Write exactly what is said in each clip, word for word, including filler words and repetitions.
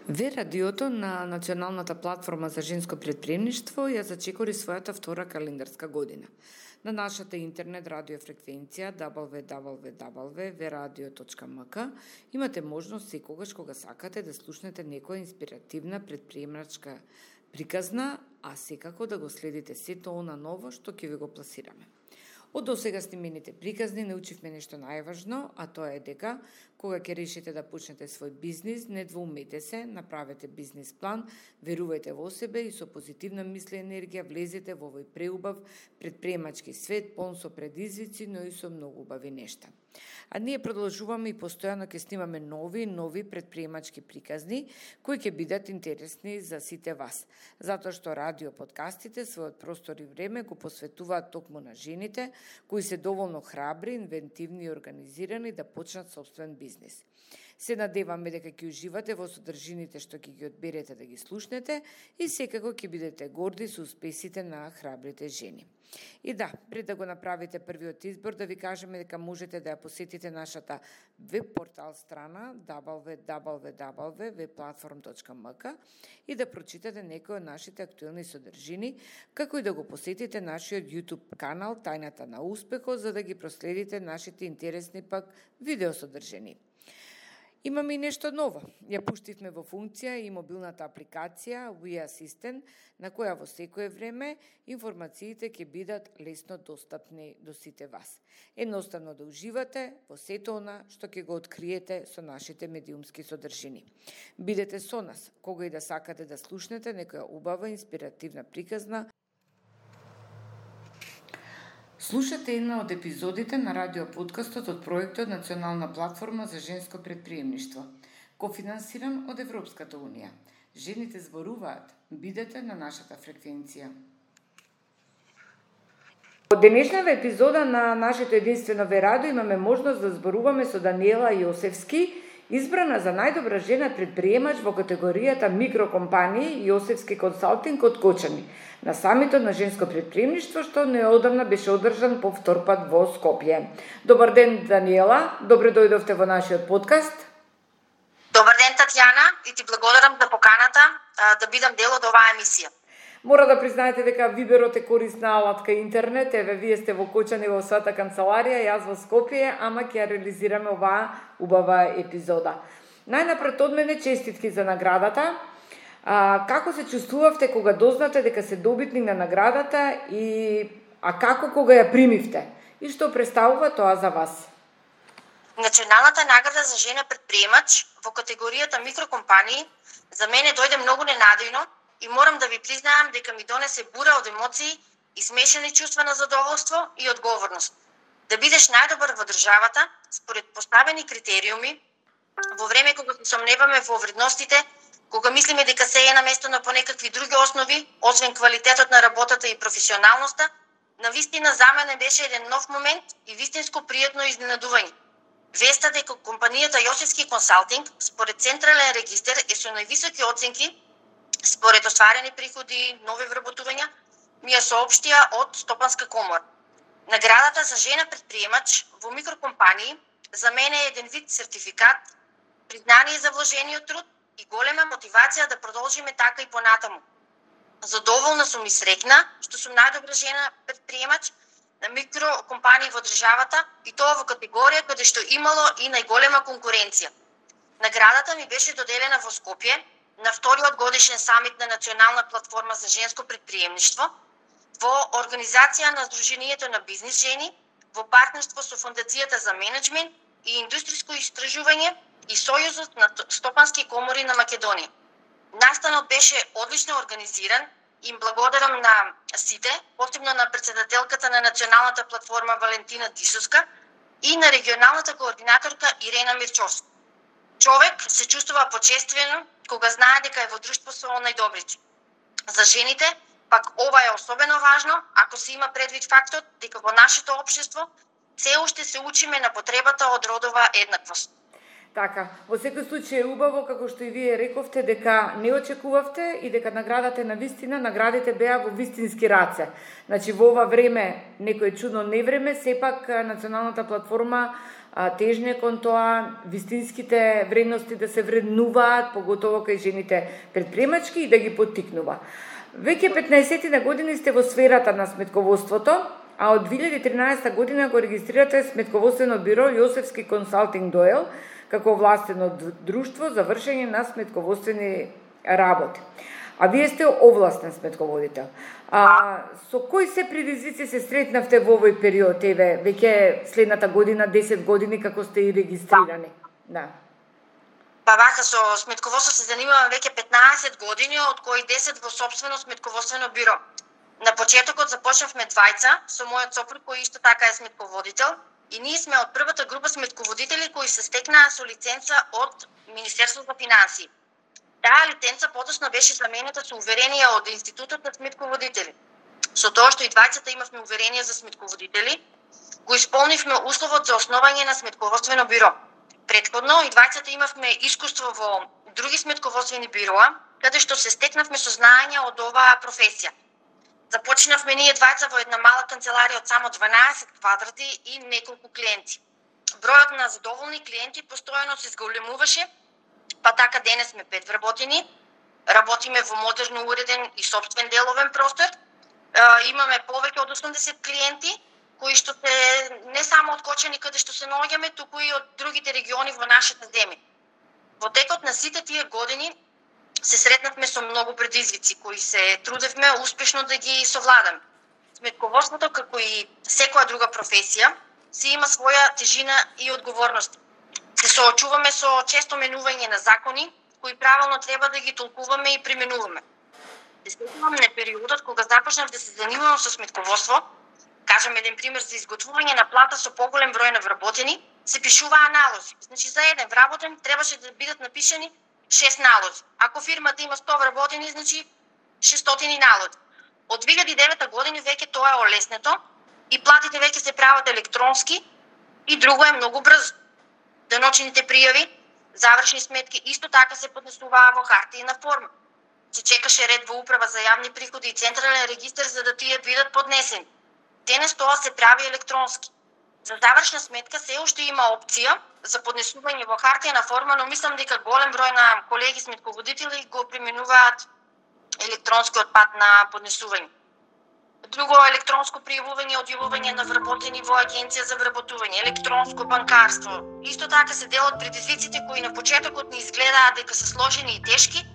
Ве радиото на Националната платформа за женско претприемништво ја зачекори својата втора календарска година. На нашата интернет радио фреквенција дабл ю дабл ю дабл ю точка ве радио точка ем ка имате можност секогаш кога сакате да слушнете некоја инспиративна претприемачка приказна, а секако да го следите сето она ново што ќе ви го пласираме. Од досега снимените приказни научивме нешто најважно, а тоа е дека кога ќе решите да почнете свој бизнис, не двоумете се, направете бизнис план, верувајте во себе и со позитивна мисла и енергија влезете во овој преубав претприемачки свет, полн со предизвици, но и со многу убави нешта. А ние продолжуваме и постојано ќе снимаме нови и нови претприемачки приказни кои ќе бидат интересни за сите вас, затоа што радио подкастите својот простор и време го посветуваат токму на жените кои се доволно храбри, инвентивни и организирани да почнат собствен бизнис. Се надеваме дека ќе уживате во содржините што ќе ги одберете да ги слушнете и секако ќе бидете горди со успесите на храбрите жени. И да, пред да го направите првиот избор, да ви кажеме дека можете да ја посетите нашата веб портал страна дабл ю дабл ю дабл ю точка ве платформ точка ем ка и да прочитате некои од нашите актуелни содржини, како и да го посетите нашиот YouTube канал Тајната на успехот, за да ги проследите нашите интересни пак видео содржини. Имаме и нешто ново. Ја пуштивме во функција и мобилната апликација We Assistant, на која во секое време информациите ќе бидат лесно достапни до сите вас. Едноставно да уживате во сето она што ќе го откриете со нашите медиумски содржини. Бидете со нас, кога и да сакате да слушнете некоја убава инспиративна приказна. Слушате една од епизодите на радиоподкастот од проектот Национална платформа за женско претприемништво, кофинансиран од Европската унија. Жените зборуваат. Бидете на нашата фреквенција. Од денешната епизода на нашето единствено ве радио имаме можност да зборуваме со Даниела Јосевски, избрана за најдобра жена предприемач во категоријата микрокомпании Јосевски консалтинг од Кочани, на самитот на женско предприемништво што неодамна беше одржан по втор пат во Скопје. Добар ден, Даниела, добре дојдовте во нашиот подкаст. Добар ден, Татјана, и ти благодарам за поканата да бидам дел од оваа емисија. Мора да признаете дека Виберот е корисна алатка интернет, еве вие сте во Кочани во својата канцеларија, јас во Скопје, ама ќе ја реализираме оваа убава епизода. Најнапред од мене честитки за наградата. А, како се чувствувавте кога дознате дека се добитник на наградата и а како кога ја примивте? И што представува тоа за вас? Националната награда за жена предприемач во категоријата микрокомпании за мене дојде многу ненадејно и морам да ви признаам дека ми донесе бура од емоции и смешани чувства на задоволство и одговорност. Да бидеш најдобар во државата според поставени критериуми во време кога се сомневаме во вредностите, кога мислиме дека се е наместено по некакви други основи, освен квалитетот на работата и професионалноста, навистина за мене беше еден нов момент и вистинско пријатно изненадување. Веста дека компанијата Јосевски консалтинг според централен регистер е со највисоки оценки според остварени приходи, нови вработувања, ми ја соопштија од Стопанска комора. Наградата за жена предприемач во микрокомпании за мене е еден вид сертификат, признание за вложениот труд и голема мотивација да продолжиме така и понатаму. Задоволна сум и среќна што сум најдобра жена предприемач на микрокомпании во државата и тоа во категорија каде што имало и најголема конкуренција. Наградата ми беше доделена во Скопје на вториот годишен самит на Национална платформа за женско предприемништво во организација на Сдруженијето на бизнис жени во партнерство со Фондацијата за менеджмент и индустријско истражување и Сојузот на стопански комори на Македонија. Настанот беше одлично организиран и им благодарам на сите, посебно на претседателката на Националната платформа Валентина Дисуска и на регионалната координаторка Ирена Мирчовска. Човек се чувствува почествено кога знае дека е во друштво со најдобрите. За жените, пак ова е особено важно, ако се има предвид фактот дека во нашето општество се уште се учиме на потребата од родова еднаквост. Така, во секој случај е убаво, како што и вие рековте, дека не очекувавте и дека наградата на вистина, наградите беа во вистински раце. Значи, во ова време, некој чудно невреме, сепак националната платформа тежне кон тоа вистинските вредности да се вреднуваат, поготово кај жените предприемачки и да ги поттикнува. Веќе петнаесет години сте во сферата на сметководството, а од две илјади и тринаесетта година го регистрирате сметководствено биро Јосефски консалтинг Доел како овластено друштво за вршење на сметководствени работи. А вие сте овластен сметководител. А со кои се предизвици се сретнавте во овој период, еве, веќе следната година, десет години како сте и регистрирани? Да. Па вака, со сметководство се занимавам веќе петнаесет години, од кои десет во собствено сметководствено биро. На почетокот започнавме двајца со мојот сопруг кој исто така е сметководител и ние сме од првата група сметководители кои се стекнаа со лиценца од Министерството за финансии. Таа лиценца подоцна беше заменета со уверение од Институтот на сметководители. Со тоа што и двајцата имавме уверение за сметководители, го исполнивме условот за основање на сметководствено биро. Претходно и двајцата имавме искуство во други сметководствени бироа, каде што се стекнавме со знаење од оваа професија. Започнавме ние двајца во една мала канцеларија од само дванаесет квадрати и неколку клиенти. Бројот на задоволни клиенти постојано се зголемуваше, па така денес сме пет вработени, работиме во модерно уреден и собствен деловен простор, имаме повеќе од осумдесет клиенти, кои што се не само од Кочани каде што се наоѓаме, туку и од другите региони во нашата земја. Во текот на сите тие години се сретнавме со многу предизвици кои се трудевме успешно да ги совладаме. Сметководството, како и секоја друга професија, си има своја тежина и одговорност. Се соочуваме со често менување на закони, кои правилно треба да ги толкуваме и применуваме. Се сетувам на периодот кога започнав да се занимавам со сметководство, кажам еден пример за изготвување на плата со поголем број на вработени, се пишуваа налози. Значи за еден вработен требаше да бидат напишани шест налози. Ако фирмата има сто вработени, значи шестстотини налози. Од две илјади и девета година веќе тоа е олеснето и платите веќе се прават електронски и друго е многу брзо. Деночните пријави, завршни сметки исто така се поднесуваа во хартиена форма. Се чекаше ред во управа за јавни приходи и централен регистар за да тие бидат поднесени. Денес тоа се прави електронски. За завршна сметка се уште има опција за поднесување во хартиена форма, но мислам дека голем број на колеги сметководители го применуваат електронскиот пат на поднесување. Друго електронско пријавување, одјавување на вработени во агенција за вработување, електронско банкарство. Исто така се дел од предизвиците кои на почетокот ни изгледаат дека се сложени и тешки,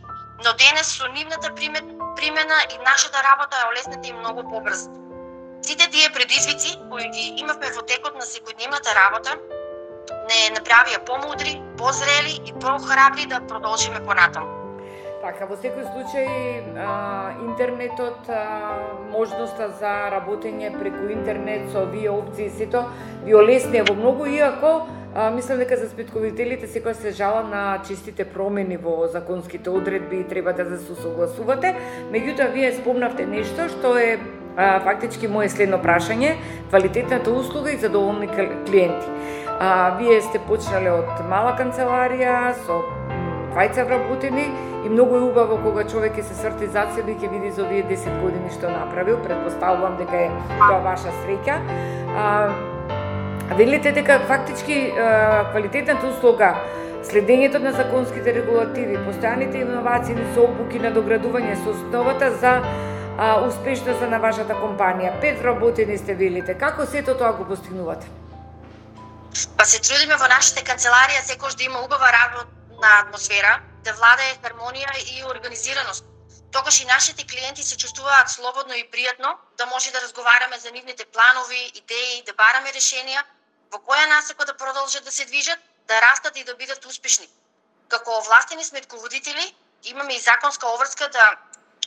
но денес со нивната примена и нашата работа е олеснета и многу побрза. Сите тие предизвици кои ги имавме во текот на секојдневната работа не направија помудри, позрели и похрабри да продолжиме понатаму. Така, во секој случај а, интернетот, а, можноста за работење преку интернет со овие опции и сето ви олеснија во многу, иако а, мислам дека за сметководителите секој се жала на честите промени во законските одредби и треба да се согласувате. Меѓутоа, вие спомнавте нешто што е а, фактички моје следно прашање, квалитетната услуга и задоволни клиенти. А, вие сте почнале од мала канцеларија со двајца вработени и многу е убаво кога човек ќе се сврти зад себе и ќе види за овие десет години што направил. Предпоставувам дека е тоа ваша среќа. А, велите дека фактички а, квалитетната услуга, следењето на законските регулативи, постојаните иновации со обуки на доградување со основата за а, успешноста на вашата компанија. Пет вработени сте, велите. Како сето тоа го постигнувате? Па се трудиме во нашите канцеларија секојаш да има убава работна атмосфера, да владее хармонија и организираност. Тогаш и нашите клиенти се чувствуваат слободно и пријатно да може да разговараме за нивните планови, идеи, да бараме решенија во која насока да продолжат да се движат, да растат и да бидат успешни. Како овластени сметководители имаме и законска обврска да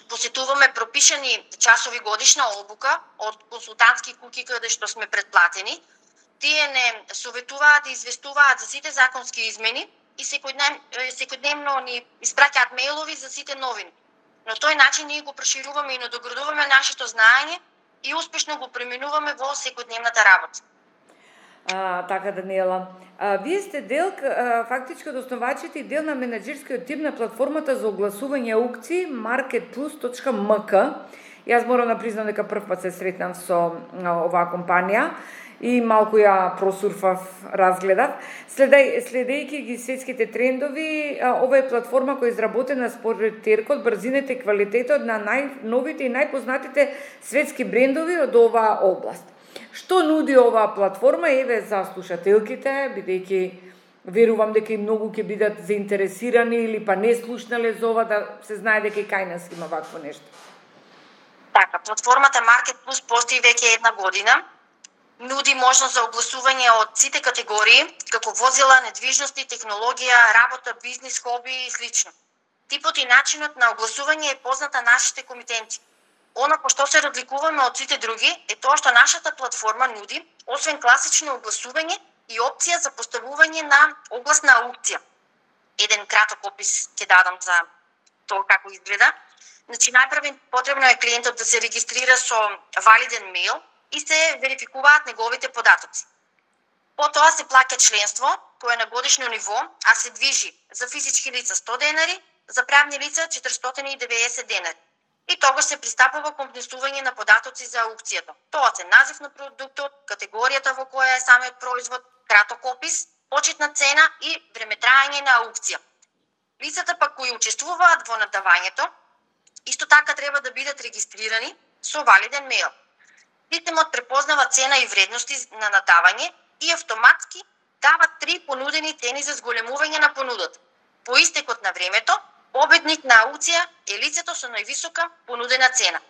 посетуваме пропишани часови годишна обука од консултантски куќи каде што сме предплатени. Тие не советуваат и известуваат за сите законски измени и секојдневно ни испраќаат мејлови за сите новини. На тој начин ние го прошируваме и надоградуваме нашето знаење и успешно го преминуваме во секојдневната работа. А, така, Даниела. А, вие сте дел, а, фактички од основачите и дел на менаџерскиот тим на платформата за огласување аукции marketplus точка ем ка. Јас морам да признам дека прв пат се сретнав со а, оваа компанија и малку ја просурфав, разгледав. Следеј, следејќи ги светските трендови, ова е платформа која е изработена според теркот, брзината и квалитетот на најновите и најпознатите светски брендови од оваа област. Што нуди оваа платформа, еве за слушателките, бидејќи верувам дека и многу ќе бидат заинтересирани или па не слушнале за ова, да се знае дека и кај нас има вакво нешто. Така, платформата MarketPlus постои веќе една година. Нуди можност за огласување од сите категории, како возила, недвижности, технологија, работа, бизнис, хоби и слично. Типот и начинот на огласување е познат на нашите комитенти. Она по што се разликуваме од сите други е тоа што нашата платформа нуди, освен класично огласување, и опција за поставување на огласна аукција. Еден краток опис ќе дадам за тоа како изгледа. Значи, најпрво потребно е клиентот да се регистрира со валиден мејл и се верификуваат неговите податоци. Потоа се плаќа членство, кое е на годишно ниво, а се движи за физички лица сто денари, за правни лица четиристотини и деветдесет денари. И тогаш се пристапува кон внесување на податоци за аукцијата. Тоа се назив на продуктот, категоријата во која е самиот производ, краток опис, почетна цена и времетраење на аукција. Лицата пак кои учествуваат во надавањето, исто така треба да бидат регистрирани со валиден мејл. Системот препознава цена и вредности на надавање и автоматски дава три понудени цени за зголемување на понудата. По истекот на времето, победник на аукција е лицето со највисока понудена цена.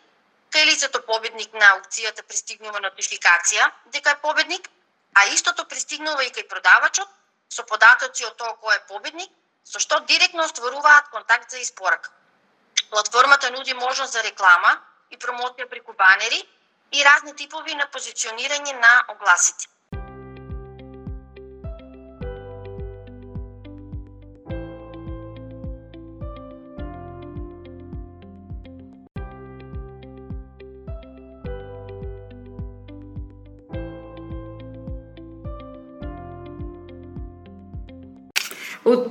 Кај лицето победник на аукцијата пристигнува нотификација дека е победник, а истото пристигнува и кај продавачот со податоци од тоа кој е победник, со што директно остваруваат контакт за испорака. Платформата нуди можност за реклама и промоција преку банери и разни типови на позиционирање на огласите. Од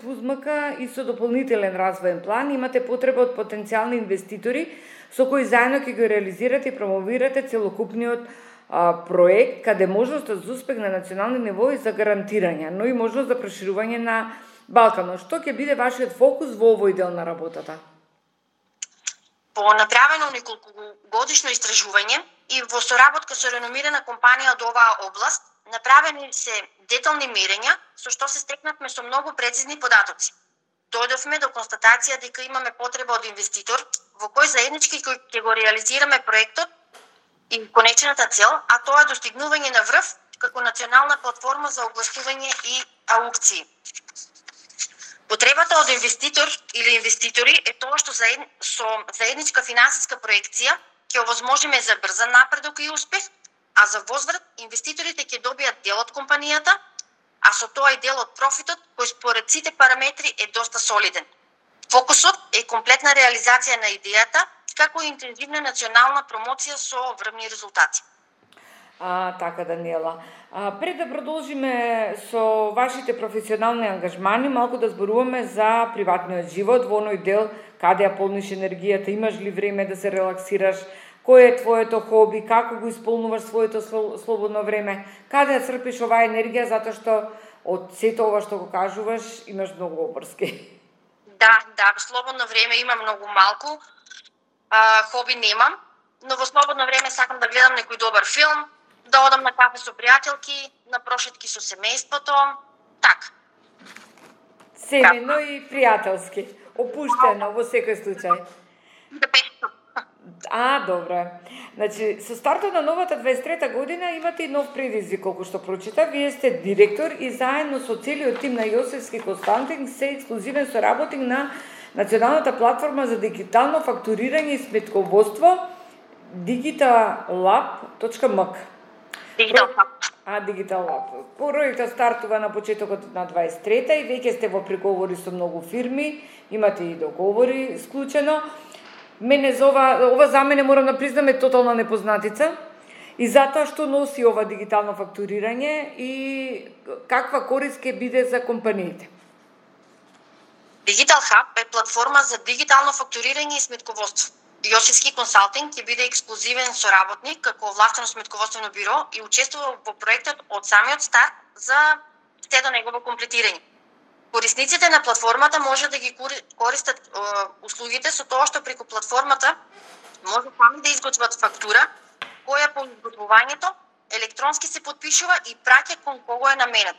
Пузмака и со дополнителен развоен план имате потреба од потенцијални инвеститори со кои заедно ќе го реализирате и промовирате целокупниот а, проект, каде можноста за успех на национални ниво и за гарантирање, но и можност за проширување на Балканот. Што ќе биде вашиот фокус во овој дел на работата? По направено неколкогодишно истражување и во соработка со реномирана компанија од оваа област, направени се детални мерења, со што се стекнавме со многу прецизни податоци. Дојдовме до констатација дека имаме потреба од инвеститор, во кој заеднички ќе го реализираме проектот и конечната цел, а тоа е достигнување на врв како национална платформа за огласување и аукции. Потребата од инвеститор или инвеститори е тоа што заед... со заедничка финансиска проекција ќе овозможиме за брзан напредок и успех, а за возврат инвеститорите ќе добијат дел од компанијата, а со тоа и дел од профитот, кој според сите параметри е доста солиден. Фокусот е комплетна реализација на идејата, како и интензивна национална промоција со врвни резултати. А, така, Даниела. А, пред да продолжиме со вашите професионални ангажмани, малку да зборуваме за приватниот живот, во оној дел каде ја полниш енергијата, имаш ли време да се релаксираш, кој е твоето хоби, како го исполнуваш своето слободно време, каде ја црпиш оваа енергија, затоа што од сето ова што го кажуваш имаш многу обврски. Да, да, слободно време има многу малку, а, хоби немам, но во слободно време сакам да гледам некој добар филм, да одам на кафе со пријателки, на прошетки со семејството, така. Семено и пријателски, опуштено во секој случај. Да, пешто. А, добро. Значи, со стартот на новата дваесет и трета година имате и нов предизвик, колку што прочита. Вие сте директор и заедно со целиот тим на Јосефски Константин се ексклузивен соработник на националната платформа за дигитално фактурирање и сметководство digital-lab точка ем ка. Digital Hub. А, Digital Lab. Проектот стартува на почетокот на дваесет и трета и веќе сте во преговори со многу фирми, имате и договори склучено. Мене за ова, ова за мене морам да признам е тотална непознатица И затоа што носи ова дигитално фактурирање и каква корист ќе биде за компаниите? Digital Hub е платформа за дигитално фактурирање и сметководство. Јосифски консалтинг ќе биде ексклузивен соработник како овластено сметководствено биро и учествува во проектот од самиот старт за се до негово комплетирање. Корисниците на платформата може да ги користат е, услугите со тоа што преку платформата може сами да изготват фактура, која по изготвувањето електронски се подпишува и праќа кон кого е наменет.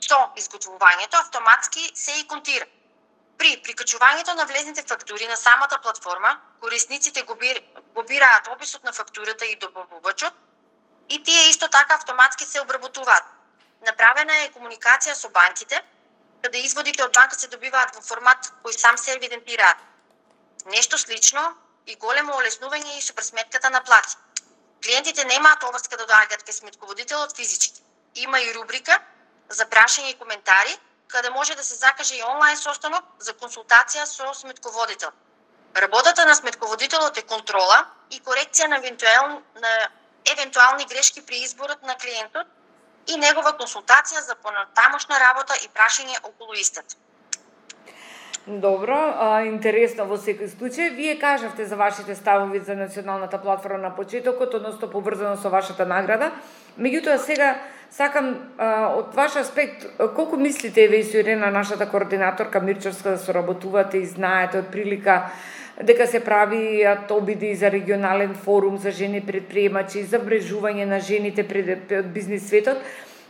Со изготвувањето автоматски се и контира. При прикачувањето на влезните фактури на самата платформа, корисниците го, бир, го бираат описот на фактурата и добавувачот и тие исто така автоматски се обработуваат. Направена е комуникација со банките, каде изводите од банка се добиваат во формат кој сам се евидентираат. Нешто слично и големо олеснување и со пресметката на плати. Клиентите немаат обврска да доаѓаат кај сметководителот физички. Има и рубрика за прашање и коментари, каде може да се закаже и онлайн состанок за консултација со сметководител. Работата на сметководителот е контрола и корекција на, евентуал, на евентуални грешки при изборот на клиентот и негова консултација за понатамошна работа и прашање околу истата. Добро, а, интересно во секој случај. Вие кажавте за вашите ставови за националната платформа на почетокот, односно поврзано со вашата награда. Меѓутоа сега сакам а, од ваш аспект, колку мислите еве и со Ирена, нашата координаторка Мирчовска, да соработувате и знаете од прилика дека се правиат обиди за регионален форум за жени предприемачи, за врежување на жените пред од бизнис светот.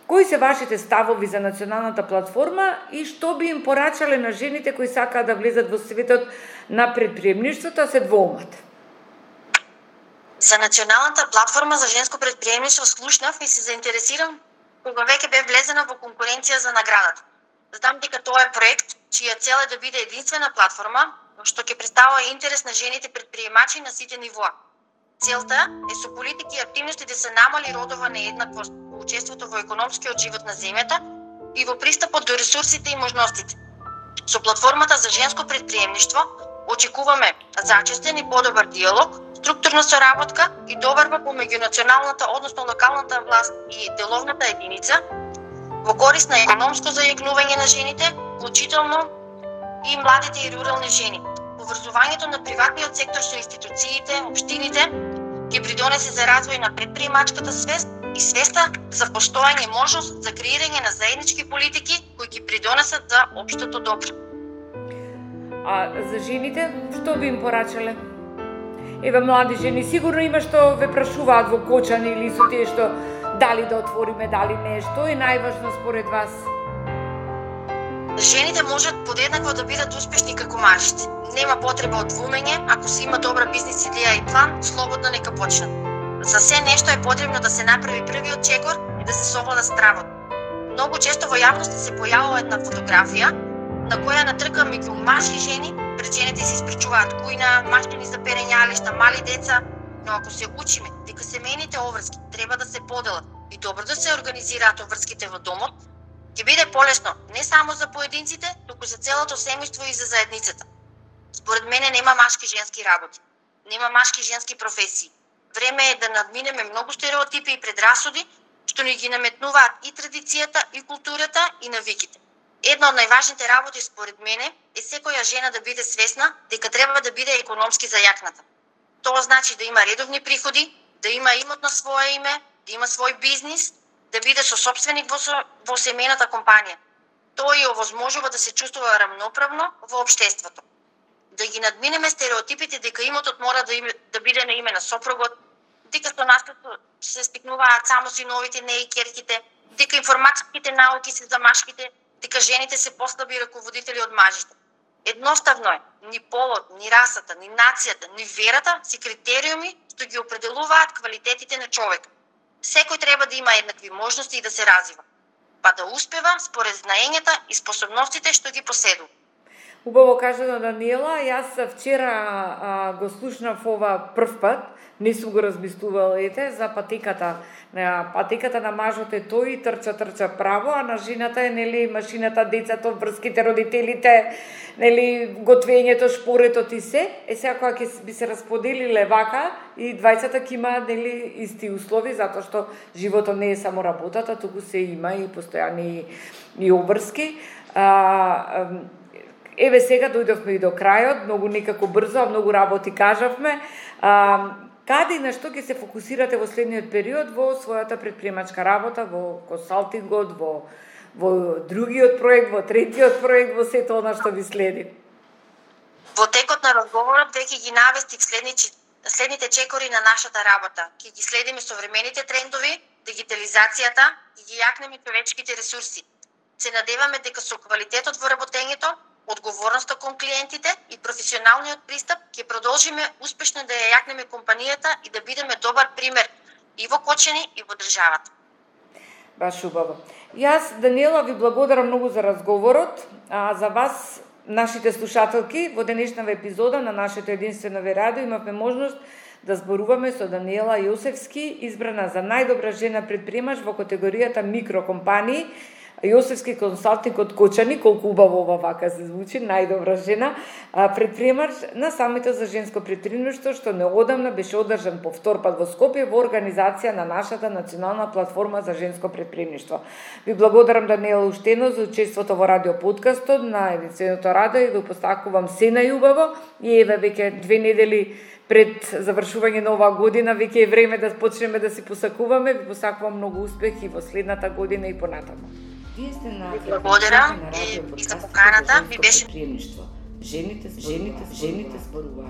Кои се вашите ставови за националната платформа и што би им порачале на жените кои сакаат да влезат во светот на предприемништвото, а се двоумат? За националната платформа за женско предприемништво слушнав и се заинтересирам кога веќе бе влезена во конкуренција за наградата. Знам дека тоа е проект чија цел е да биде единствена платформа што ќе представува интерес на жените предприемачи на сите нивоа. Целта е со политики и активности да се намали родова нееднаквост во учеството во економскиот живот на земјата и во пристапот до ресурсите и можностите. Со платформата за женско предприемништво очекуваме зачестен и подобар диалог, структурна соработка и доварба помеѓу националната, односно локалната власт и деловната единица во корист на економско зајакнување на жените, вклучително и младите и рурални жени. Поврзувањето на приватниот сектор со институциите, општините ќе придонесе за развој на предприемачката свест и свеста за постојање можност за креирање на заеднички политики кои ќе придонесат за општото добро. А за жените, што би им порачале? Еве, млади жени, сигурно има што ве прашуваат во Кочани или со тие што дали да отвориме, дали не, што е најважно според вас? Жените можат подеднакво да бидат успешни како мажите. Нема потреба од двумење, ако се има добра бизнис идеја и план, слободно нека почнат. За се нешто е потребно да се направи првиот чекор и да се совлада стравот. Многу често во јавноста се појавува една фотографија на која на трка меѓу мажи и жени, пред жените се испречуваат кујна, машини за перењалишта, мали деца, но ако се учиме дека семејните обврски треба да се поделат и добро да се организираат обврските во домот, ќе биде полесно не само за поединците, туку за целото семејство и за заедницата. Според мене нема машки женски работи, нема машки женски професии. Време е да надминеме многу стереотипи и предрасуди што ни ги наметнуваат и традицијата, и културата, и навиките. Една од најважните работи според мене е секоја жена да биде свесна дека треба да биде економски зајакната. Тоа значи да има редовни приходи, да има имот на свое име, да има свој бизнис, да биде сосопственик во, во семејната компанија. Тоа ја овозможува да се чувствува рамноправно во општеството. Да ги надминеме стереотипите дека имотот мора да, име, да биде на име на сопругот, дека со наследство се стекнуваат само синовите, не и ќерките, дека информатските науки се за машките, дека жените се послаби раководители од мажите. Едноставно е, ни полот, ни расата, ни нацијата, ни верата се критериуми што ги определуваат квалитетите на човек. Секој треба да има еднакви можности и да се развива, па да успева според знаењата и способностите што ги поседува. Убаво кажано, Даниела. Јас вчера а, го слушнав ова прв пат, не сум го размислувала, ете, за патеката. На патеката на мажот е тој, трча, трча право, а на жената е, нели, машината, децата, врските, родителите, нели, готвењето, шпоретот и се. Е, сега кога ќе би се расподелиле вака, и двајцата ќе има, нели, исти услови, затоа што животот не е само работата, туку се има и постојани и обврски. А, еве сега дојдовме и до крајот, многу некако брзо, многу работи кажавме. А, каде и на што ќе се фокусирате во следниот период во својата предприемачка работа, во консалтингот, во, во другиот проект, во третиот проект, во сето она што ви следи? Во текот на разговорот веќе ги навестив следните, следните чекори на нашата работа. Ќе ги следиме современите трендови, дигитализацијата и ги јакнеме човечките ресурси. Се надеваме дека со квалитетот во работењето, одговорноста кон клиентите и професионалниот пристап ќе продолжиме успешно да ја јакнеме компанијата и да бидеме добар пример и во Кочани и во државата. Баш убаво. Јас, Даниела, ви благодарам многу за разговорот, а за вас, нашите слушателки, во денешната епизода на нашето единствено ве радио имавме можност да зборуваме со Даниела Јосевски, избрана за најдобра жена предприемач во категоријата микрокомпании, Јосевски консалтинг од Кочани, колку убаво ова вака се звучи, најдобра жена, предприемач на самитот за женско предприемништво, што неодамна беше одржан по втор пат во Скопје во организација на нашата национална платформа за женско предприемништво. Ви благодарам, Даниела, уштено за учеството во радио подкастот на единственото радио и ви постакувам се најубаво и еве веќе две недели пред завршување на оваа година, веќе е време да почнеме да си посакуваме. Ви посакувам многу успех и во следната година и понатаму. Вие сте на благодарам и, и за поканата. Ви беше жените, жените, жените зборуваат.